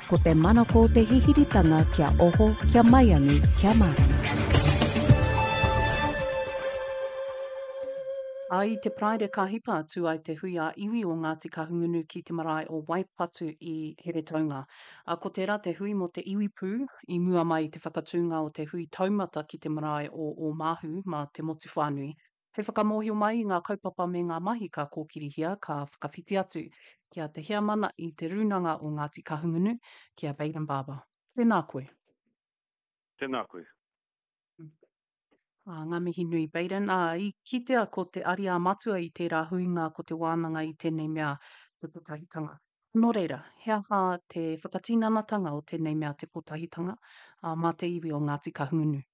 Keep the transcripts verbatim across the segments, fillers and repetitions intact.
Ko te manako o te hihiritanga kia oho, kia maiangi, kia mārama. Ā, i te Paraire ka hipa atu ai te hui ā-iwi o Ngāti Kahungunu ki te marae o Waipatu i Heretaunga. Ā, ko tērā te hui mō te iwi pū, i mua mai i te whakatūnga o te hui taumata ki te marae o Ōmāhu mā te motu whānui. Hei whakamōhio mai i ngā kaupapa me ngā mahi ka kōkirihia, ka whakawhiti atu ki a Te Heamana i Te Rūnanga o Ngāti Kahungunu, ki a Bayden Barber. Tēnā koe. Tēnā koe. Ā, ngā mihi nui, Bayden. Ā, i kitea ko te ariā matua i tērā huinga ko te wānanga i tēnei mea te kotahitanga. Nō reira, he aha te whakatinanatanga o tēnei mea te kotahitanga, ā, mā te iwi o Ngāti Kahungunu?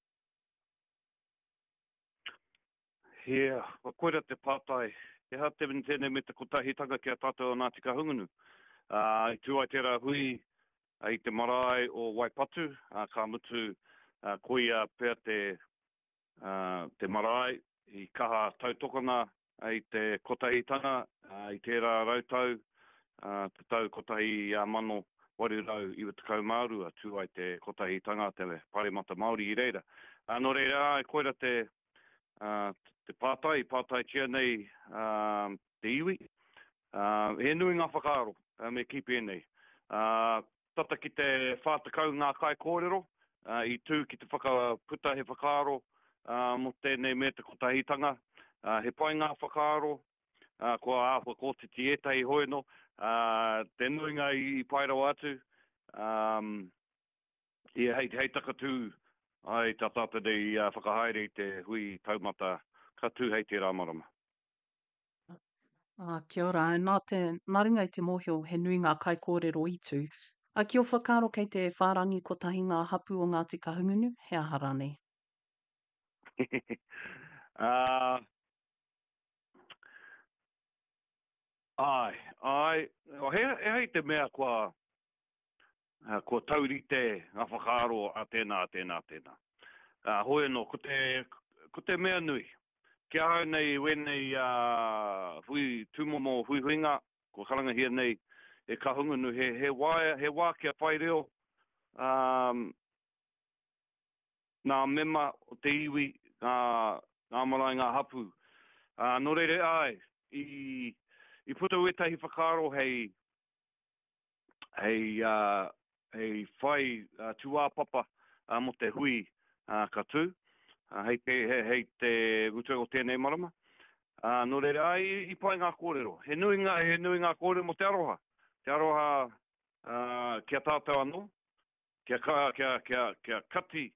Yeah, koira te pātai. He aha te tēnei me te kotahitanga ki a tātou o Ngāti Kahungunu? Ā, i tū ai tērā hui i te marae o Waipatu, ā, ka mutu, ā, koia pea te, ā, te marae i kaha tautokona i te kotahitanga i tērā rautau, ā, te tau kotahi mano waru rau iwa tekau mā rua, tū ai te kotahitanga te Pāremata Māori i reira. Ā, nō reira, āe, koira te, ā, te pātai i pātaitia nei, ā, te iwi. Ā, he nui ngā whakaaro, me kī pēnei. Ā, tata ki te whā tekau ngā kaikōrero, ā, i tū ki te whakaputa he whakaaro, ā, mō tēnei me te kotahitanga. Ā, he pai ngā whakaaro, ā, kua āhua kōtiti ētahi hoi anō, ā, te nuinga i, i pai rawa atu, ā, ia hei, hei takatū ai tā tātou nei whakahaere i te hui taumata ka tū hei tērā marama. Ā, kia ora. Nā te, nā runga i te mōhio he nui ngā kaikōrero i tū. Ā, ki ō whakaaro kei te whārangi kotahi ngā hapū o Ngāti Kahungunu, he aha rānei? Ā, āe, āe, he, ehara i te mea kua, kua taurite ngā whakaaro a tēnā, a tēnā, a tēnā. Ā, hoi anō, ko te, ko te mea nui, ki ahau nei wēnei ā, hui, tūmomo huihuinga, kua karangahia nei e Kahungunu, he, he wā, he wā kia whai reo, ā, ngā mema o te iwi, ngā, ngā marae, ngā hapū. Ā, nō reira, āe, i, i puta wētahi whakaaro hei, hei, uh, hei whai uh, tūāpapa uh, mō te hui uh, ka tū, uh, hei te, hei, hei te mutunga o tēnei marama. Uh, nō reira, ai, i, i pai ngā kōrero. He nui ngā, he nui ngā kōrero mō te aroha. Te aroha uh, ki a tātou anō, kia, ka, kia, kia, kia kati,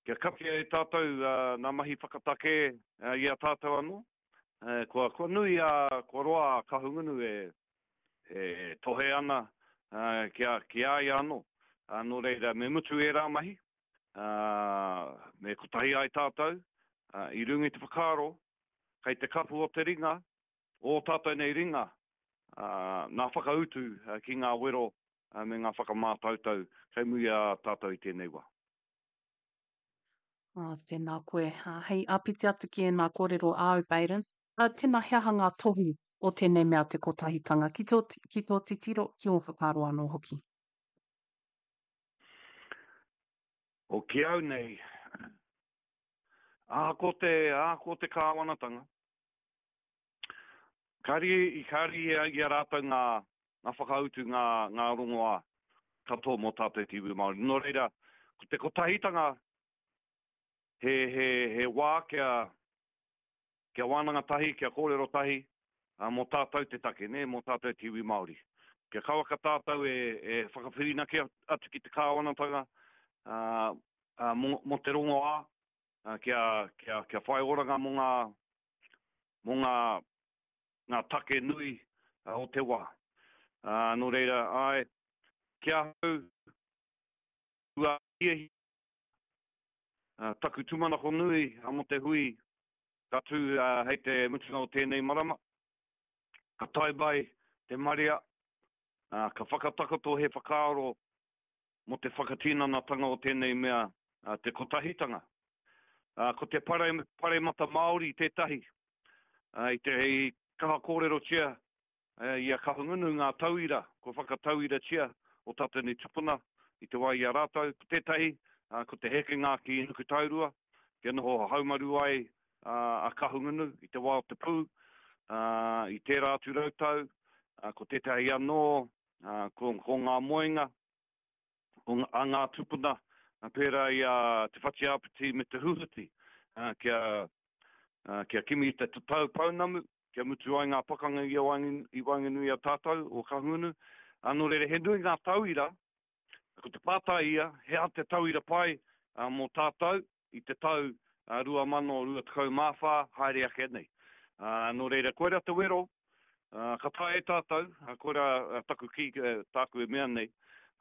kia katia e tātou uh, ngā mahi whakatakē uh, i a tātou anō. Uh, kua, kua nui a, kua roa a Kahungunu e, e tohe ana uh, ki a, ki a ia anō. Uh, nō reira, me mutu ērā mahi, uh, me kotahi ai tātou, uh, i runga i te whakaaro, kei te kapu o te ringa, o tātou nei ringa, uh, nā whakautu uh, ki ngā wero uh, me ngā whakamātautau kei muri a tātou i tēnei wā. Ah, tēnā koe. Ah, hei āpiti atu ki ēnā kōrero āu, Bayden. Ah, tēnā, he aha ngā tohu o tēnei mea te kotahitanga ki tō, ki tō titiro, ki ō whakaaro anō hoki? O ki au nei, ahakoa te, ahakoa te kāwanatanga, kāri, i kāri i a, i a rātou ngā, ngā whakautu, ngā, ngā rongoā katoa mō tātou te iwi Māori. Nō reira, ko te kotahitanga he, he, he wā kia, kia wānanga tahi, kia kōrero tahi, ā, mō tātou te take, nē, mō tātou te iwi Māori. Kia kawaka tātou e, e whakawhirinaki atu ki te kāwanatanga, ā, ā, mō, mō te rongoā, ā, kia, kia, kia whai oranga mō ngā, mō ngā, ngā take nui o te wā. Ā, nō reira, āe, ki ahau, kua hiahia taku tūmanako nui mō te hui ka tū hei te mutunga o tēnei marama. Ka tae mai te marea, ka whakatakoto he whakaaro mō te whakatinanatanga o tēnei mea, te kotahitanga. Ko te pare, paremata Māori tētahi, i te i kaha kōrerotia i a Kahungunu ngā tauira, kua whakatauiratia o tātou nei tupuna i te wā i a rātou. Ko tētahi, ko te hekenga ki Nukutaurua, kia noho haumaru ai a Kahungunu i te wā o te pū, i tērā atu rautau. Ko tētahi anō, ko, ko ngā moenga o a ngā tupuna, pērā i a Te Whatiāpiti me Te Huhuti, kia, kia kimi i te tatau pounamu, kia mutu ai ngā pakanga i waenganui i a tātou o Kahungunu. Nō reira, he nui ngā tauira, ko te pātai ia, he aha te tauira pai mō tātou i te tau rua mano rua tekau mā whā haere ake nei. Nō reira, koira te wero, ka taea e tātou, koira taku kī, tāku e mea nei,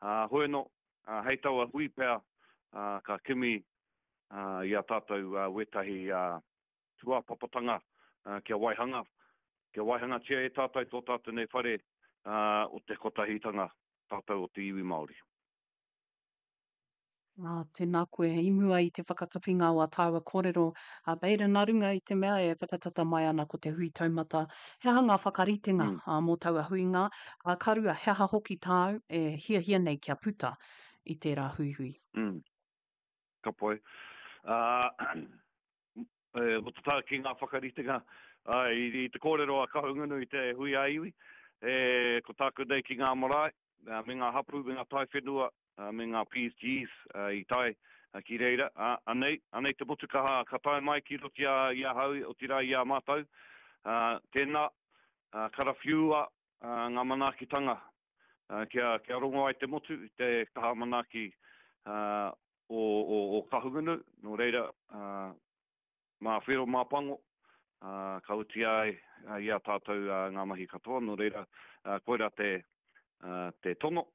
hoi anō, hei taua hui pea ka kimi i a tātou wētahi tūāpapatanga kia waihanga, kia waihangatia e tātou tō tātou nei whare o te kotahitanga tātou o te iwi Māori. Ā, tēnā koe, i mua i te whakakapinga o a tāua kōrero, a Baden, nā runga i te mea e whakatata mai ana ko te hui taumata, he aha ngā whakaritenga mm. ā, mō taua huinga, ā, ka rua, he aha hoki tāu e hiahia nei kia puta i tērā huihui? Mm. Ka pai. Uh, e, mō te taha ki ngā whakaritenga, uh, i, i te kōrero a Kahungunu i te hui a iwi, e, ko tāku nei ki ngā marae, me ngā hapū, me ngā taiwhenua, me ngā P S Gs i tae ki reira. Anei, anei te motu ka, ka tae mai ki roto i ahau, otirā i a mātou. Tēnā, karawhiua ngā manaakitanga kia, kia rongo ai te motu i te kaha manaaki o, o, o Kahungunu. Nō reira, mā whero, mā pango, ka uti ai i a tātou ngā mahi katoa. Nō reira, koira te, te tono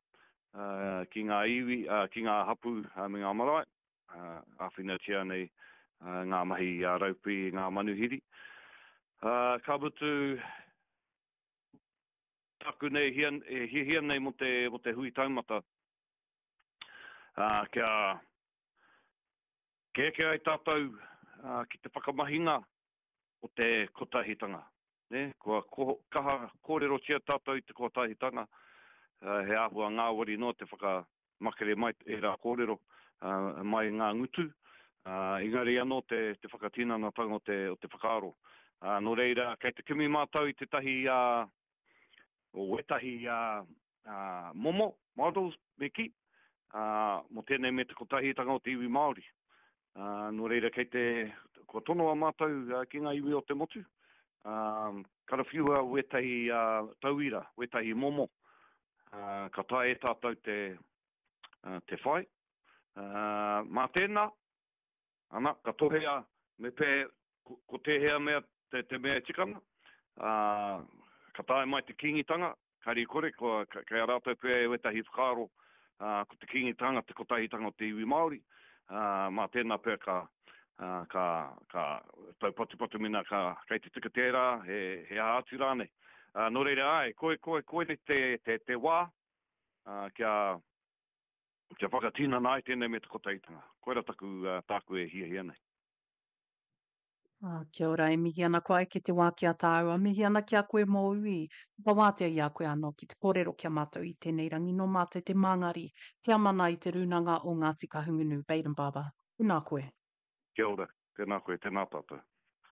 ki ngā iwi, ki ngā hapū me ngā marae, āwhinatia nei ngā mahi a raupi, ngā manuhiri. Ka mutu, taku nei e hiahia nei mō te, mō te hui taumata, kia kia eke ai tātou ki te whakamahinga o te kotahitanga. Ne? Kua kaha kōrerotia tātou i te kotahitanga, he āhua ngāwari noa te whakamakere mai e rā kōrero mai ngā ngutu, engari anō te, te whakatinanatanga o te, o te whakaaro. Nō reira, kei te kimi mātou i tētahi uh, o wētahi uh, uh, momo, models, me kī, uh, mō tēnei me te kotahitanga o te iwi Māori. Uh, nō reira, kei te, kua tonoa mātou uh, ki ngā iwi o te motu, um, karawhiua wētahi uh, tauira, wētahi momo, uh, ka taea e tātou te, uh, te whai. Uh, mā tēnā, ana, ka tohea me pē, ko, ko tēhea mea te, te mea e tikanga, uh, ka tae mai te Kīngitanga, kari kore, ko, kei a rātou pea e wētahi whakaaro, uh, ko te Kīngitanga, te kotahitanga o te iwi Māori, uh, mā tēnā pea ka, uh, ka, ka taupatupatu mena ka, kei te tika tērā, he, he aha atu rānei. Uh, nō reira ai, koi, koi, koi nei te, te, te wā, uh, kia, kia whakatinana ai tēnei me te kotahitanga. Koira taku, uh, tāku e hiahia nei. Ah, kia ora, e mihi ana koe ki te wā ki a tāua, mihi ana ki a koe mō ui. Whakawātea i a koe anō ki te kōrero ki a mātou i tēnei rangi nō mātou te māngari. He amana i te rūnanga o Ngāti Kahungunu, Baden Barber. Tēnā koe. Kia ora, tēnā koe, tēnā tātou.